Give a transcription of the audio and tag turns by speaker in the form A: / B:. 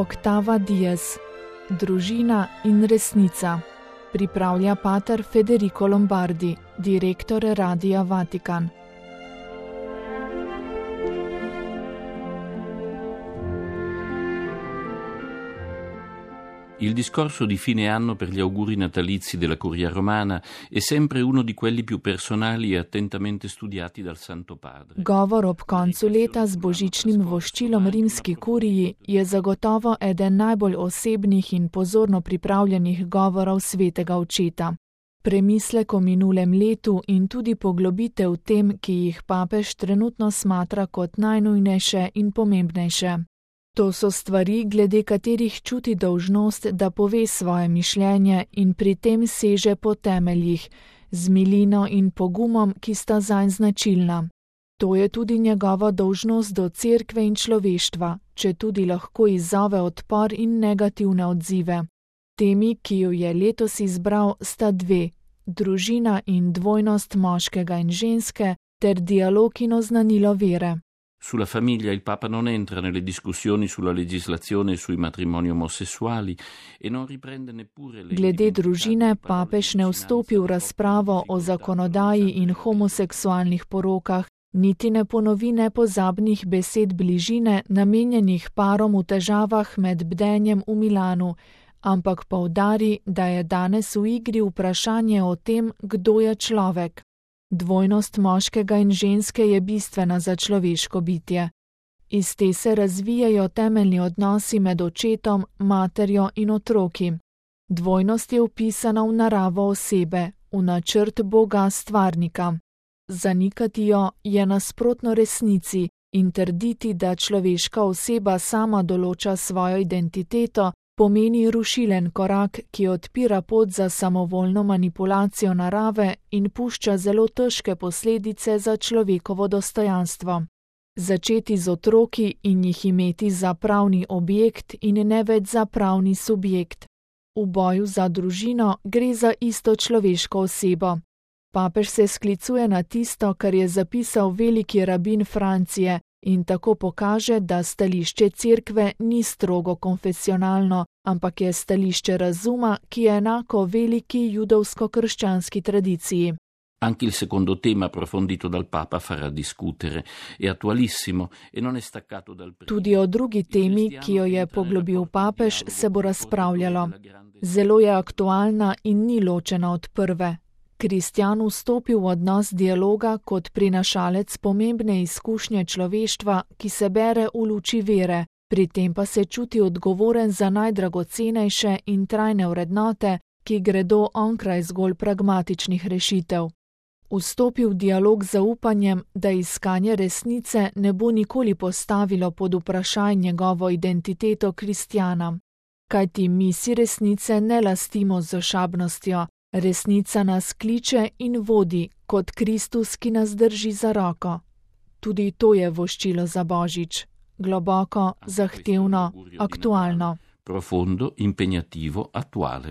A: Octava Dies. Družina in resnica. Pripravlja pater Federico Lombardi, direktor Radia Vatikan.
B: Il discorso di fine anno per gli auguri natalizi della Curia Romana è sempre uno di quelli più personali e attentamente studiati dal Santo Padre.
A: Govor ob koncu leta z božičnim voščilom rimski kuriji je zagotovo eden najbolj osebnih in pozorno pripravljenih govorov svetega očeta. Premislek o minulem letu in tudi poglobitev tem, ki jih papež trenutno smatra kot najnujnejše in pomembnejše. To so stvari, glede katerih čuti dolžnost, da pove svoje mišljenje in pri tem seže po temeljih, z milino in pogumom, ki sta zanj značilna. To je tudi njegova dolžnost do cerkve in človeštva, če tudi lahko izzove odpor in negativne odzive. Temi, ki jo je letos izbral, sta dve: družina in dvojnost moškega in ženske ter dialog in oznanilo vere.
B: Sulla famiglia il Papa non entra nelle discussioni sulla legislazione sui matrimoni omosessuali e non riprende neppure le...
A: Glede družine papež ne vstopi v razpravo o zakonodaji in homoseksualnih porokah, niti ne ponovi nepozabnih besed bližine, namenjenih parom v težavah med bdenjem v Milanu, ampak poudari, da je danes v igri vprašanje o tem, kdo je človek. Dvojnost moškega in ženske je bistvena za človeško bitje. Iz te se razvijajo temeljni odnosi med očetom, materjo in otroki. Dvojnost je vpisana v naravo osebe, v načrt Boga stvarnika. Zanikati jo je nasprotno resnici in trditi, da človeška oseba sama določa svojo identiteto, pomeni rušilen korak, ki odpira pot za samovoljno manipulacijo narave in pušča zelo težke posledice za človekovo dostojanstvo. Začeti z otroki in jih imeti za pravni objekt in ne več za pravni subjekt. V boju za družino gre za isto človeško osebo. Papež se sklicuje na tisto, kar je zapisal veliki rabin Francije, in tako pokaže, da stališče cerkve ni strogo konfesionalno, ampak je stališče razuma, ki je enako veliki judovsko-krščanski tradiciji.
B: Anche il secondo tema approfondito dal Papa farà discutere. È attualissimo e non è staccato dal primo.
A: Tudi o drugi temi, ki jo je poglobil papež, se bo razpravljalo. Zelo je aktualna in ni ločena od prve. Kristjan vstopi v odnos dialoga kot prinašalec pomembne izkušnje človeštva, ki se bere v luči vere, pri tem pa se čuti odgovoren za najdragocenejše in trajne vrednote, ki gredo onkraj zgolj pragmatičnih rešitev. Vstopi v dialog z upanjem, da iskanje resnice ne bo nikoli postavilo pod vprašaj njegovo identiteto kristjana. Kajti mi si resnice ne lastimo z ošabnostjo. Resnica nas kliče in vodi, kot Kristus, ki nas drži za roko. Tudi to je voščilo za Božič. Globoko, zahtevno, aktualno.
B: Profondo, impegnativo, attuale.